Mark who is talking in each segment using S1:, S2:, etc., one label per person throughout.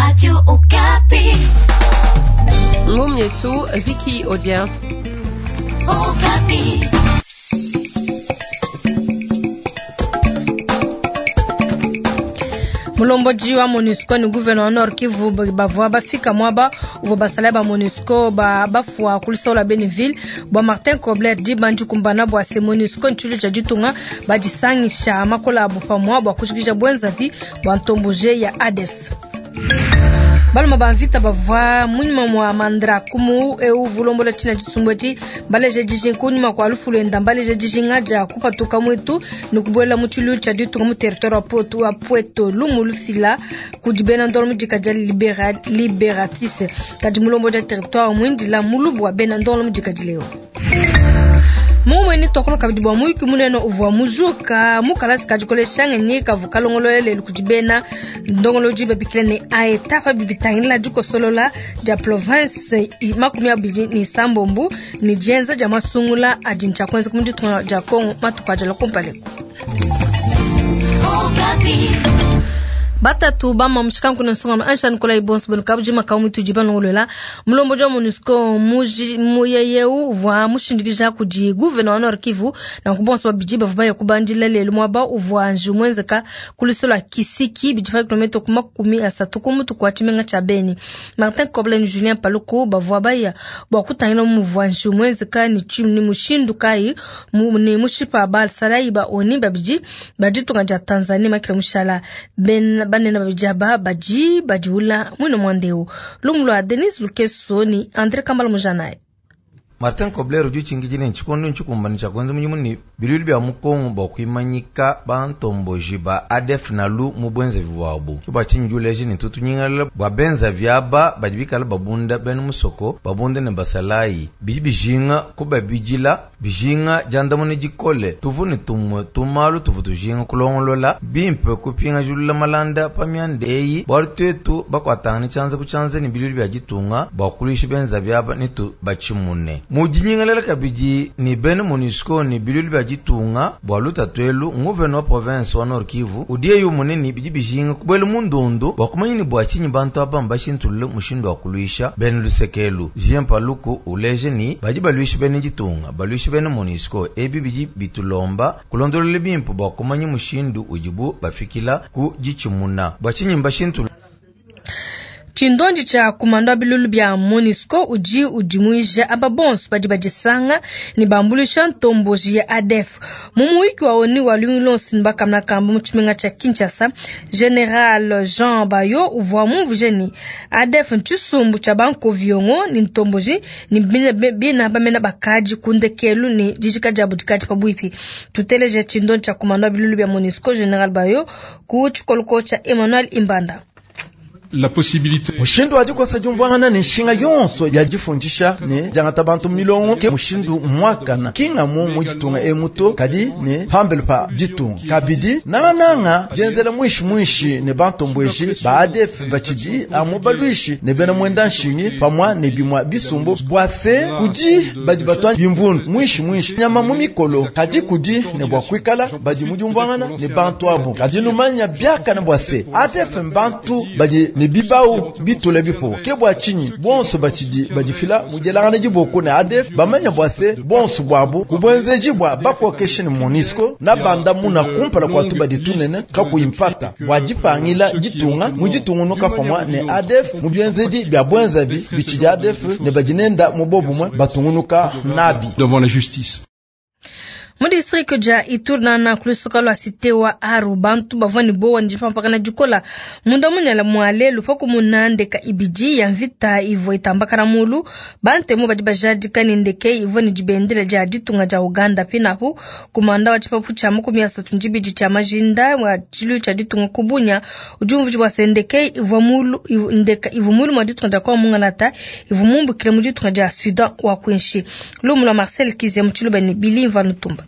S1: Radio Okapi.
S2: Ngumu yetu Vicky Odia.
S1: Okapi.
S3: Mulombodi wa MONUSCO ni gouverneur wa Nord Kivu bavua bafika mwaba uvua basalayi ba MONUSCO ba bafua ku luseke lua Beneville bua Martin Kobler diba ndikumbana bua se MONUSCO ntshilulu tshia ditunga badisangisha makola abu pamua bua kujikija buenzavi bua ntombuje ya ADF. Baluma ba mvita bavua munyima mua Mandra kumu eu vulombola tshina tshisumbu etshi baleje dijinga kunyima kua lufu luenda mbaleje dijinga dia kupatuka muitu ne kubuela mu tshiluilu tshia ditunga mu territoire wa Poto wa Pweto lumu lufila kudi bena ndolo mu dika dia Libera, Liberatrice kadi mulombodi wa territoire muindila mulubu wa bena ndolo mu dika dileo. Mumue tuakula kabidi bua muyuki munene uvua mujuka mu kalasi ka dikolesha ngenyi kavua kalongolola lelu kudi bena ndongolodi babikila ne aeta pa bibitangila dikosolola dia province 26 ne dienza dia masungula adi ntshia kuenzeka mu ditunga dia Congo matuku adi alua kumpala eku. Batatu bama mushikanku ne nsonga Ange Nicolas Ibonso benu kabujima ka mutu di balongolola mulombodi wa MONUSCO muji muyeyeu uvua mushindikija kudi gouverneur wa Nord Kivu nanku bonso babidi bavua baya kubandila lelu muaba uvua njiwu muenzeka ku luseke lua Kisiki bidi pa kilomètre ku 30 ku mutu kua tshimenga tshia Beni. Martin Kobler ne Julien Paluku bavua baya bua kutangila muvua njiwu muenzeka ne ni mushindu kayi ne mushipa basalayi ba ONU babidi ba ditunga dia Tanzanie makila mushala ben banene babidi aba badi badiula mwine mwandeu lumu lua Denis Lukeso ni Andre Kambala Mujanaye.
S4: Martin Kobler udi utshingidi ne tshikondo ntshikumbane tshia kuenza mudimu ne biluilu bia mu Kongo bua kuimanyika bantomboji ba ADF NALU mu buenzavi buabu. Ke bua tshinyi udi uleja ne tutu nyingalala bua benzavi aba badi bikala babunda bena musoko babunda ne basalayi bidi bijinga kubabidila bijinga diandamuna dikole tuvu ne tumue tumalu tuvu tujinga kulongolola bimpe kupingajulula malanda pa mianda eyi bualu tuetu bakuatangana tshianza ku tshianza ne biluilu bia ditunga bua kuluisha benzavi aba ne tubatshimune. Mudinyengelela kabidi ne bena MONUSCO ne biluilu bia ditunga bua lutatu elu nguvena wa province wa Nord Kivu udi eyu munene bidi bijinga kubuela mu ndundu bua kumanya ne bua tshinyi bantu aba mbashintulule mushindu wa kuluisha bena luseke elu. Julien Paluku uleje ni badi baluisha bena ditunga baluisha bena MONUSCO ebi bidi bitulomba kulondolola bimpe bua kumanya mushindu udibu bafikila ku ditshimuna bua tshinyi mbashintulule.
S3: Tshindondi tshia kumando wa bilulu bia MONUSCO udi udimuija aba bonso badi badisanga ne bambuluisha ntomboji ya ADF. Mu muyuki wa ONU wa lumingu luonso ne bakamuna kamba mu tshimenga tshia Kinshasa, General Jean Bayo uvua mumvuije ne ADF ntshisumbu tshia bankoviongo ne ntomboji ne bina bamena bakadi ku ndekelu ne dijika diabu dikadi pabuipi. Tuteleje tshindondi tshia kumando wa bilulu bia MONUSCO General Bayo ku tshikoloko tshia Emmanuel Imbanda.
S5: La possibilité
S6: mushindu wa dikosa diumvuangana ne nshinga yonso ya difundisha ne diangata bantu milongo ke mushindu muakana kingamu mu ditunga emu to kadi ne pambelu pa ditunga kabidi nangananga dienzela mwishi mwishi ne bantombweji ba ADF batshidi amu balwishi ne bena mwenda nshingi pamua ne bimua bisumbu bua se kudi badi batua bimvundu mwishi mwishi nyama mu mikolo kadi kudi ne bua kuikala badi mu diumvuangana ne bantu abu kadi numanya biakana bua se ADF mbantu badi ne bibau bitule bifo ke bua tshinyi bonso batshidi badifila mu dielangana diboko ne ADF bamanya bua se bonso buabu ku buenzeji bua bakokeshi ne MONUSCO na banda muna kumpala kua tubadi tunene kakuyi mpata bua dipangila ditunga mu ditungunuka pamua ne ADF mu bienzedi bia buenzabi bitshidi ADF ne badi nenda mu bobumue batungunuka nabi.
S5: Devant la justice.
S3: Mu district dia Ituri nana ku lusuka lua cité wa Aru bantu bavua ne bowa ne dipampakana dikola munda munene mua lelu pa kumuna ndeka ibidi ya mvita ivua itambakana mulu bantemu badi bajadika ne ndeke ivua ne dibendele dia ditunga dia Uganda pinapu kumanda wa tshipapu tshia 32 tshia majinda wa tshilu tshia ditunga ku Bunia udi umvuija bua se ndeke ivua mulu ndeka ivua mulu mua ditunga dia Kongo mungalata ivua mumbukile mu ditunga dia Sudan wa kuinshi lumu lua Marcel Kizia mu tshiluba ne Bilimva Nutumba.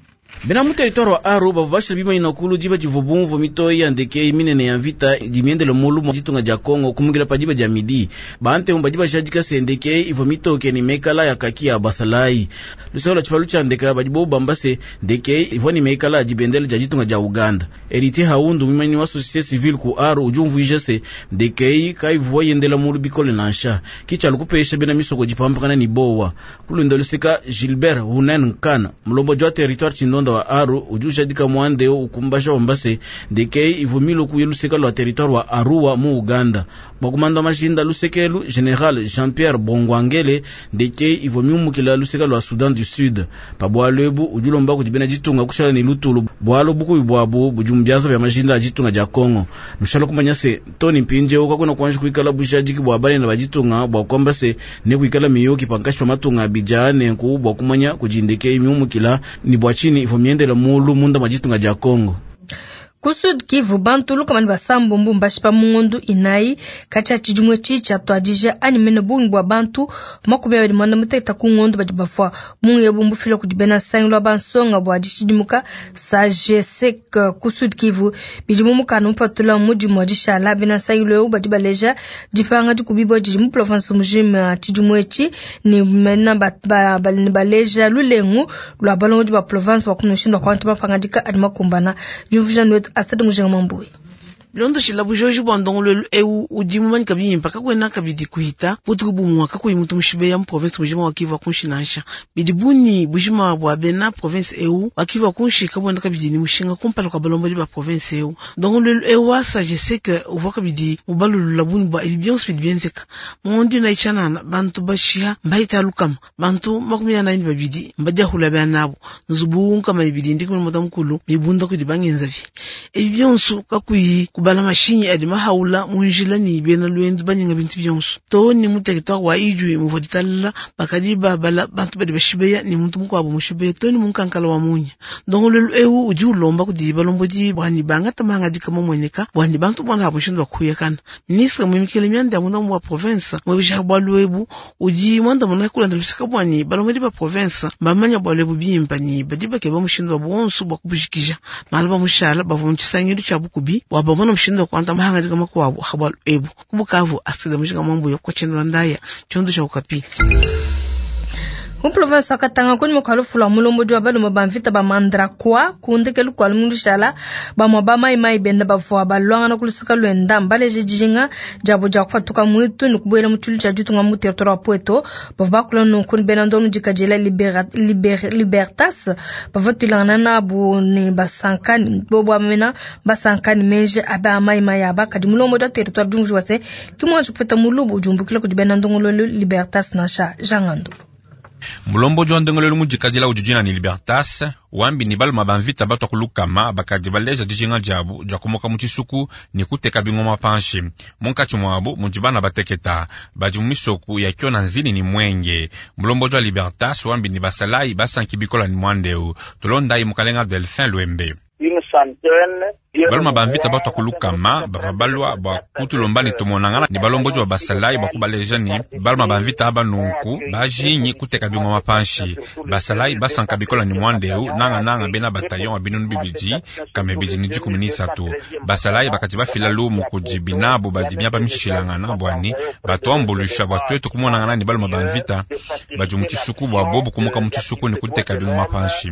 S1: Bena mu territoire wa Aru bavua bashila bimanyina kulu diba divua bumvua mitoyi ya ndeke minene ya mvita idi miendele mulu mu ditunga dia Kongo kumukila pa diba dia midi. Bantemu badi bajadika se ndeke ivua mitoke ne mekala ya kaki ya basalayi. Luseke lua tshipalu tshia ndeke badi bobu bamba se ndeke ivua ne mekala ya dibendele dia ditunga dia Uganda. Héritier Haundu mumanyi wa société civile ku Aru udi umvuija se ndeke kayivua yendela mulu bikole nansha. Kitshialu kupesha bena misoko dipampakana ne bowa. Kulunda luseka Gilbert Hunen Nkana mulombodi wa territoire tshindonda wa Aru udi ujadika mwandeo ukumbasha wamba se ndeke ivua miluku ya luseka lua territoire wa Arua mu Uganda. Bua kumanda mashinda lusekelu General Jean-Pierre Bongwangele ndeke ivua miumukila luseka lua Soudan du Sud. Pa bualu ebu udi ulomba kudi bena ditunga kushala ne lutulu bualu bukubi buabu budi mu bianza bia mashinda a ditunga dia Kongo. Nushala kumanya se toni mpindieu kakuna kuanji kuikala bujadiki bua banene ba ditunga bua kuamba se ne kuikala miyuki pankashi pa matunga abidi nenku bua kumanya kudi ndeke miumukila ni bua tshini ivua miendela mulu munda mwa ditunga dia Kongo.
S3: Ku Sud Kivu bantu lukama ne basambombo mbashipa mu ngondu inayi katshia tshidimu etshi tshiatuadija anyi mene bungi bua bantu 28 ku ngondu badi bafua. Bungi ebu mbufila kudi bena nsangilu wa bansonga bua dishidimuka SAGESEC ku Sud Kivu. Bidi mu mukanda mupatula mudimu wa dishala bena nsangilu eu badi baleja dipanga dikubibua didi mu province mujima tshidimu etshi ne mena baleja lulengu lua balongodi ba province bua kumushindu wa kuangata mapangadika adi makumbana. Diumvuija wetu Astrid Mujinga Mambui.
S7: Bilondeshila bujoji bua ndongoluelu eu udi mumanyika bimpe kakuena kabidi kuhita butuku bumue kakuyi muntu mushibeya mu province mujima wa Kivu kunshi nansha. Bidi bunyi bujima bua bena province eu wa Kivu kunshi kabuena kabidi ni mushinga kumpala kua balombodi ba province eu. Ndongoluelu eu wa sagesse ke uvua kabidi mubalulula bunyi bua ebi bionso bidi bienzeka. Mu na ichanana bantu bashiha mbahita lukama bantu 42 mbadiahula bia nabo nzubu nkama ibidi ndi kumwe mutamukulu mibunda kudi bangenzavi. Ebi bionso kakuyi kubala mashinyi adi mahaula munjila ni bena lwendu banyinga bintu bionso to ni mu territoire wa Idjwi muvua ditalala bakadi babala bantu badi bashibeya ni muntu mukuabu mushibeya to ni munkankala wa munya. Ndongoluelu eu udi ulomba kudi balombodi bwani bangata mahangadika mamueneka bwani bantu bwana mushindu wa kuyakana. Ministre muimikile mianda ya munda wa province mwebisha bwalu ebu udi mwanda muna kulanda lusika bwani balombodi ba province bamanya bwalu ebu bimpa ni badi bakeba mushindu wa bonso bwa kubujikija mala bamushala bavua mu tshisangilu tshia bukubi bwa bamona mushindu wa kuanta mahangadika makuabu habwalu ebu. Ku Bukavu Astrid Mujinga Mwambuyo kwa tshendo ndaya tshiondo tsha Okapi.
S3: Mu province wa Katanga kuni mukalufu lwa mulombodi wa balume ba mvita ba Mandrakwa kundekelu kwa lumushala bamwa ba mai mai benda bavua balwangana kulusika lwenda mbaleje dijinga diabo dia kupatuka mwitu ni kubuela mu tshilu tshia ditunga mu territoire wa Pweto. Bavua bakula nunku ni bena ndono dikadila Libertas bavua tuilangana nabu ni basankani bobo amena basankani menje aba mai mai aba kadi mulombodi wa territoire diumvu wa se kimwa tshipeta mulubu ujumbukila kudi bena ndongolo Libertas nansha Jangando.
S8: Mulombodi wa ndongolelu mudikadila udi dina ni Libertas wambi ni baluma ba mvita batwa kulukama bakadi baleja dijinga diabu dia kumuka mu tshisuku ni kuteka bingoma panshi. Munkatshi muabu mudi bana bateketa badi mu misoku ya kiona nzini ni mwenge. Mulombodi wa Libertas wambi ni basalayi basanki bikola ni mwandeu tulondayi mukalenga Delphin Lwembe. Baluma ba mvita batwa kulukama bava balwa bua kutulomba ni tumonangana ni balombodi ba basalayi bua kubaleja ni baluma ba mvita aba nunku bajinyi kuteka bingoma panshi. Basalayi basanka bikola ni mwandeu nanga nanga bena bataillon wa binunu bibidi kame bidi ni 13. Basalayi bakati bafila lumu kudi binabu badi miaba mishilangana bwani batuambulusha bua twetu kumonangana ni baluma ba mvita badi mu tshisuku bua bobu kumuka mu tshisuku ni kuteka bingoma panshi.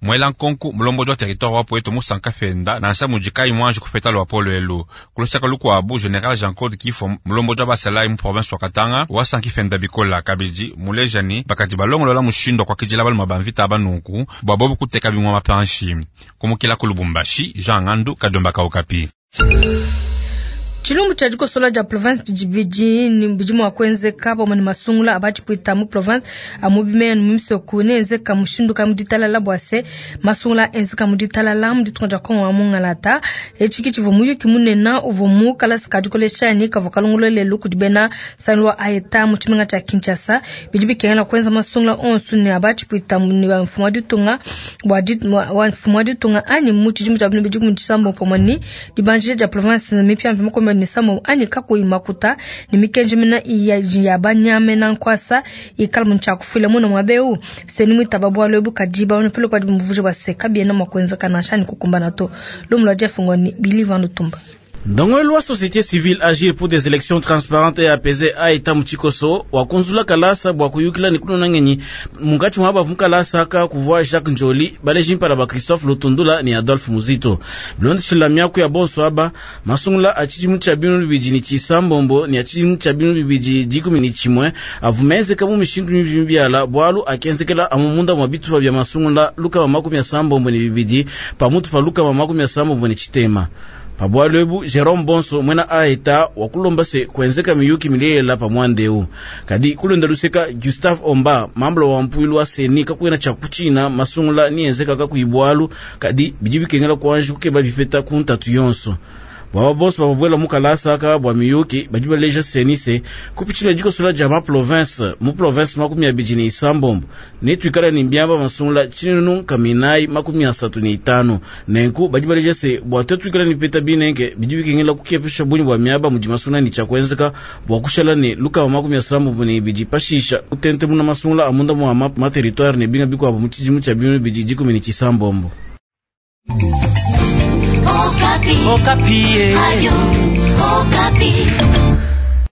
S8: Mwela nkonku mulombodi wa territoire wa Pweto musanka fenda nansha mudikai mwanji kufeta lwa polo elu. Kulusaka lukuabu General Jean-Claude Kifo mulombodi wa basalayi mu province wa Katanga wasanki fenda bikola kabidi mulejani bakadi balongolola mushindo kwa kijila baluma ba mvita aba nunku bua bobu kuteka bingoma mapanshi. Kumukila ku Lubumbashi Jean Ngandu Kadomba ka Okapi.
S3: Tshilumbu tshia dikosola dia province bidi ni bidi mua kuenzeka pamue ne masungula abatshipwita mu province amu bimene mu misoku ne enzeka mushindu kayi mu ditalala bua se masungula enzeka mu ditalala mu ditunga dia Kongo wa mungalata. Etshi tshivua muyuki munene uvua mu kalasa ka dikolesha ni kavua kalongolola lelu kudi bena nsangilu wa AETA mu tshimenga tshia Kinshasa. Bidi bikengela kuenza masungula onso ne abatshipwita ne ba mfumu wa ditunga bua wa mfumu wa ditunga anyi mu tshidimu tshia 2017 pamue ni dibanjija dia province mipiamipia mukombe. 2 anyi kakuyi makuta ne mikenji mena ya banyamena nkwasa ikala mu tshiakufila muna muaba eu. CENI muitaba bualu ebu, kadi bamane pele kwadi muvuja bua se kabiena mua kuenzeka nansha ni kukumbana to. Lumu lua Jeff Ngoni Billy Van Lutumba.
S1: Ndongoluelu wa société civile Agir pour des élections transparentes et apaisées aita mu tshikoso wakunzula kalasa bua kuyukila ne kunona ngenyi. Munkatshi mua bavu kalasa aka kuvua Jacques Njoli, baleji mpala ba Christophe Lutundula ne Adolphe Muzito. Bilondeshela miaku ya bonso aba, masungula a tshidimu tshia 2026 ne a tshidimu tshia 2011 avumenzeka mu mishindu mibi mibiala, bualu akenzekela amu munda mua bitupa bia masungula 172 pamutu pa 66. Pabwalu ebu, Jerome Bonso mwena aeta wakulomba se kuenzeka miyuki milela pa mwandeu. Kadi kulonda luseka Gustave Omba, mambula wa mpuilu wa CENI, kakwena cha kuchina masungula ni enzeka kakuibwalu, kadi bidi bikengela kuanji kukeba bipeta ku ntatu yonso. Baba boss bababwela mukalasa aka bwa miyuki badi baleja CENI se kupitshila dikosola dia ma province mu province 26 ne twikala ne mbiamba masungula 1435. Nenku badi baleja se bwa te twikala ne peta binenge bidi bikengela kukepesha bunyi bwa miaba mudi masungula ni tshiakuenzeka bwa kushala ne 72 pashisha utente muna masungula amunda mwa ma territoire ne binga bikwabo mu tshidimu tshia 2017.
S9: Okapi. Okapi. Radio Okapi.